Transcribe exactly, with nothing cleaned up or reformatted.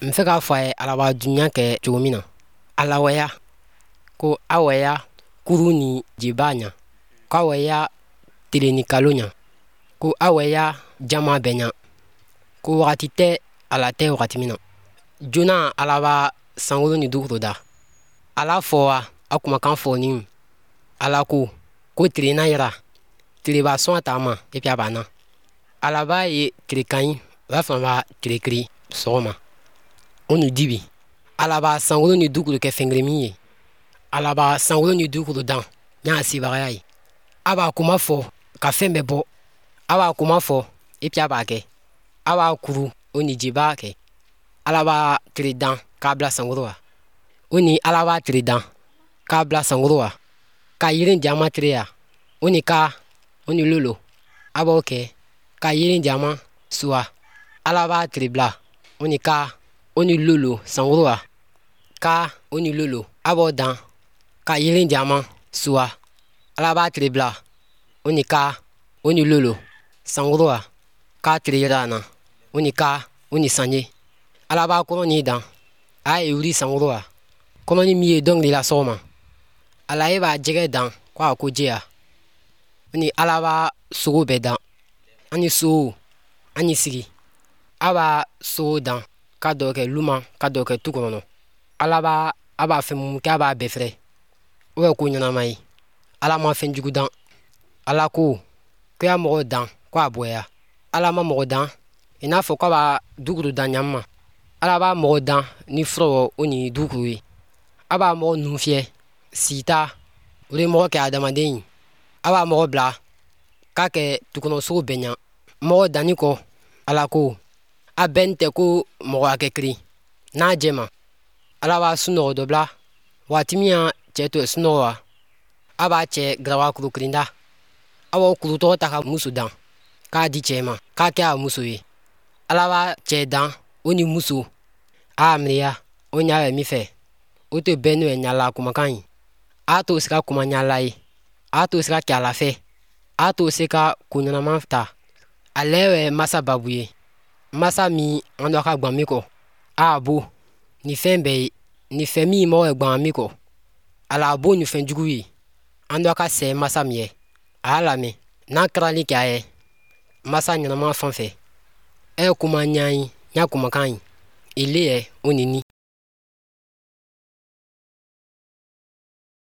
N fɛ k'a fɔ a ye Ala b'a dunya kɛ cogo min na. Ala waya ko a waya kuru ni jiba ɲa, ko a waya tile ni kalo ɲa, ko a waya jama bɛɛ ɲa, ko wagati tɛ ala tɛ wagati min na. Joona Ala b'a sankolo ni dugukolo da. Ala fɔ wa a kumakan fɔ ni Ala ko ko tile na yira, tile b'a sɔn a ta ma et puis a b'a na. Ala b'a ye tile ka ɲi, o b'a fana b'a tile kiri sɔgɔma o ni dibi. Ala b'a sankolo ni dugukolo kɛ fɛn kelen min ye. Ala b'a sankolo ni dugukolo dan n'a sebagaya ye. A b'a kuma fɔ ka fɛn bɛɛ bɔ. A b'a kuma fɔ et puis a b'a kɛ. A b'a kuru o ni jiba kɛ. Ala b'a tile dan k'a bila sankolo wa. O ni Ala b'a tile dan k'a bila sankolo wa, ka yiri jama tile ya, o ni ka o ni lolo a b'o kɛ ka yiri jama suwa. Ala b'a tile bila o ni ka o ni lolo sankolo wa, ka o ni lolo a b'o dan ka yiri jama suwa. Ala b'a tile bila o ni ka o ni lolo sankolo wa, k'a tile yira na, o ni ka o ni sanye. Ala b'a kɔnɔ dan, a ye wuli sankolo wa, kɔnɔ min ye dɔnkili la sɔgɔma. Ala ye b'a jɛgɛ dan ko a ko jɛya. O ni Ala b'a sogo bɛɛ dan, ani sow ani sigi. A b'a sogo dan ka dɔ kɛ luma, ka dɔ kɛ tu kɔnɔ. Ala b'a a b'a fɛn mun kɛ, a b'a bɛɛ fɛrɛ. O bɛ ko ɲɛnama ye. Ala ma fɛn jugu dan. Ala ko ko y'a mɔgɔ dan ko a bɔya. Ala ma mɔgɔ dan i n'a fɔ k'a b'a dugukolo dan ɲama ma. Ala b'a mɔgɔ dan ni furaw o ni dugukolo ye. A b'a mɔgɔ nun fiyɛ sita, o de ye mɔgɔ kɛ adamaden ye. A b'a mɔgɔ bila k'a kɛ tukɔnɔsogo bɛɛ ɲa. Mɔgɔ danni kɔ, Ala ko a bɛɛ tɛ ko mɔgɔ hakɛ kelen n'a jɛma. Ala b'a sunɔgɔ dɔ bila waati min ya cɛ to sunɔgɔ wa, a b'a cɛ garawa kuru kelen da. A b'o kuru tɔgɔ ta ka muso dan k'a di cɛ ma k'a kɛ a muso ye. Ala b'a cɛ dan o ni muso a miiriya o ɲa bɛ min fɛ, o tɛ bɛn n'o ye ɲala kumakan ye. A t'o se ka kuma ɲala ye, a t'o se ka kɛ a la fɛ, a t'o se ka ko ɲɛnama ta. Ale ye masa babu ye, masa min an dɔ ka gwan min kɔ. A bo ni fɛn bɛɛ ye, ni fɛn min mɔgɔ ye gwan min kɔ. Ala bo ni fɛn jugu ye, an dɔ ka sɛ masa min ye. A y'a lamɛn n'a kɛrali kɛ a ye masa ɲɛnama fan fɛ. E kuma ɲa ye, ɲa kumakan ye ile yɛ o ni ni.